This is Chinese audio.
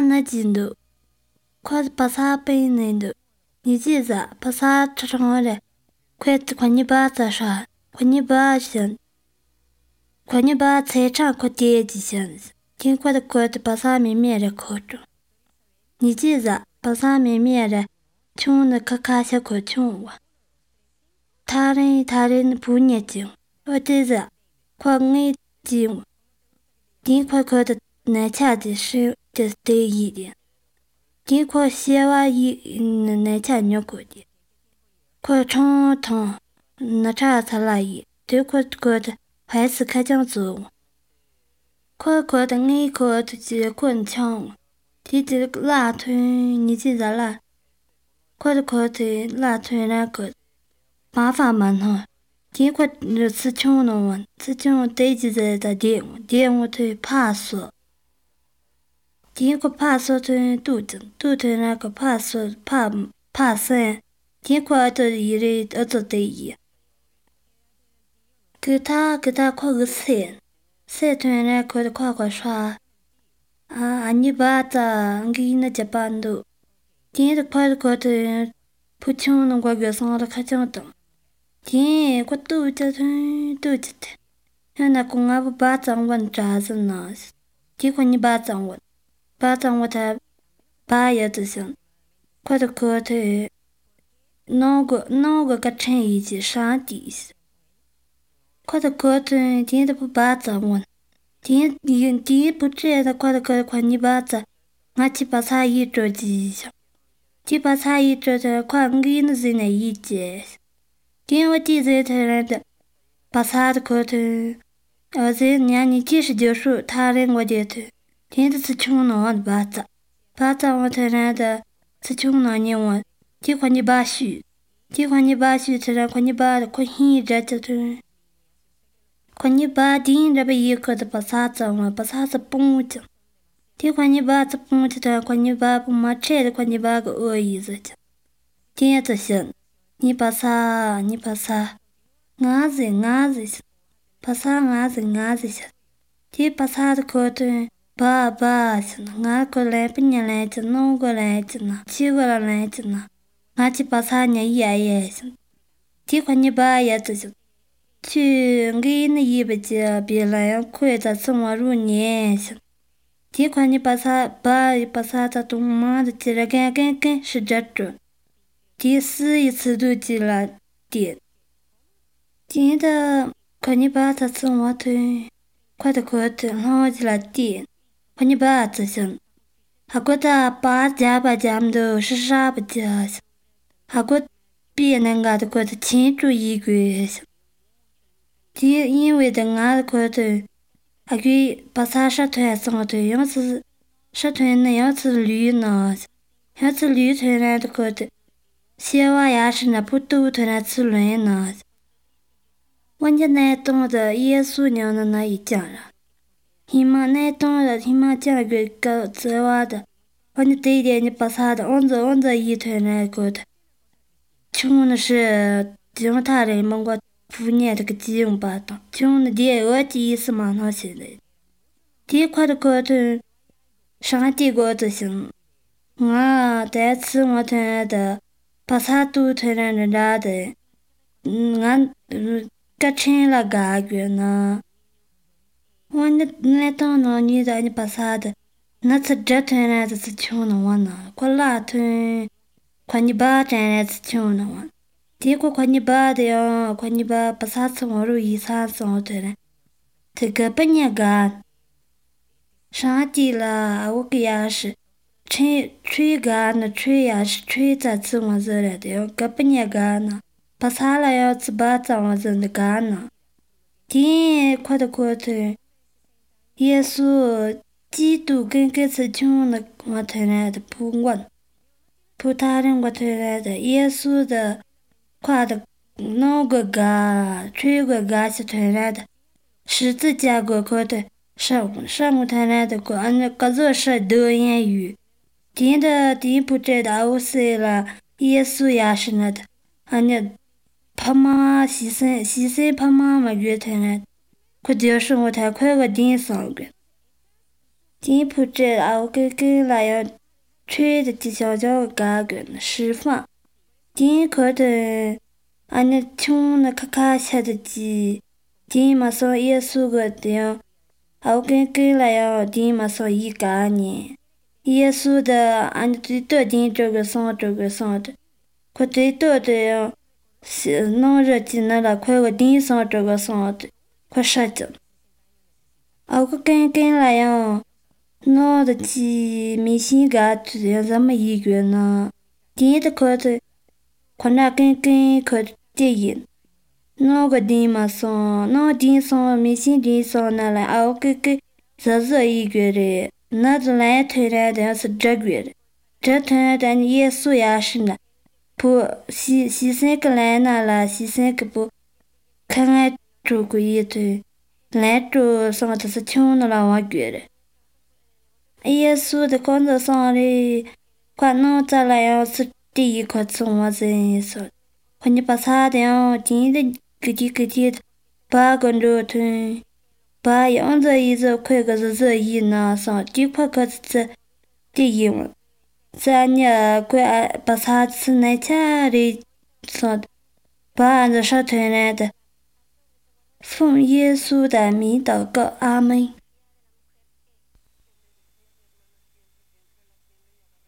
那进度，快把啥背那度，你记着把啥吃上来，快你把咋啥，快你把先，快你把菜场快点几先，尽快的把啥面的烤着。你记着把啥面的，穷的咔些快穷哇。他人不念经，我记着快爱经，尽快的拿下的是这对一点。尽快写完那家女过的，快长汤那茶才来一，对快的还是开讲做，快的爱快的就滚抢，记得拉腿你记得拉，快的拉腿那个麻烦蛮哈，尽快吃穷了完，吃穷得记得的点我腿怕死。尽快怕死的肚子那个怕死怕生，尽快的一类做的一，给他快个生团那个快刷你把它给那家搬的，尽的快的不穷能快个上了开讲的，尽快肚子的，那公阿不把掌纹扎着呢，尽快你把掌纹。把掌握它，把也就行。快的弄个成一起上地去。快的今的不把掌握，今不知道快你把这，俺去把茶一桌几下，去把茶一桌的快给那是那一节。今我记着他来的，把茶的这你其实就是他人我觉得。今的是穷人把这我才来的，是穷人你我，就快你把书才来快你把的快现着就快你把顶着被一个的把啥子我把啥子蹦着，就快你把这蹦着的快你把不嘛吃的快你把个恶意子着，今这行，你把啥，俺子把啥俺子些，就把啥的可的。爸，俺过来不年来着，弄过来着呢，去过来着呢，俺去把啥年爷行，几块你爸也这就去给那一百家别来快在生活入年行，几块你把啥在东妈的记了干是这种，第四一次都记了点，记得快你把它生活推，快的，然后记了点。快你把这行，还觉得把家们是啥不家行，还觉别人家的觉得清楚一个行，因为的俺觉得还给把啥社团上的样子，社团那样子绿呢，样子绿团来的觉得，小娃也是那不都团来吃乱呢，我家那懂的耶稣娘的那一家了。你妈那当然，你妈讲个这话的，我你对点你把啥的，按着一团那个的，穷的是讲他人们我不念这个基用吧的，穷的我第一次嘛那些的，第块的个的，上帝个就行，我第次我团的，把啥都团的啥的，俺个成了个呢。我那当那女的你把啥的，那次这团来的是穷的我呢，快拉团，快你把这来是穷的我，结果快你把的呀，快你把啥子我如意啥子我的嘞，这个半年干，上地了我个也是，吹干了吹也是吹在吃我这来的呀，个半年干呢，把啥了要吃把这我真的干呢，天快的。耶稣基督跟是穷的我推来的不他人我推来的耶稣的快的那个吹个是推来的十字架个可的上午推来的个按个做是多言语听的听不知道谁了耶稣也是那的按那怕妈牺牲怕妈妈越推来的可就是我太快个顶上个今不知熬给那样吹的小小嘎个释放，今可的俺那穷的咔下的鸡，今嘛说耶稣个的，熬给那样今嘛说一嘎呢，耶稣的俺最多今这个上的，可最多的是弄热鸡那了，快个顶上这个上的，快杀着，熬个跟那样。那的鸡明星嘎子咱们一个呢，今的可的，可那可电影，那个地嘛上，那地上明星地上那来熬这一个的，那就来推来的是这个的，这推来的耶稣也是呢，不西三个来那了，西三个不，看俺做过一堆，来做上的是穷的了我觉得。耶稣的工作上的，快弄再来要是第一块从我这说，快你把啥的要今的个的，把个肉吞，把样子一直快个是这一那上，就快个是第一嘛，咱家快把啥吃那家的上，把俺这啥吞来的，奉耶稣的名祷告，阿门。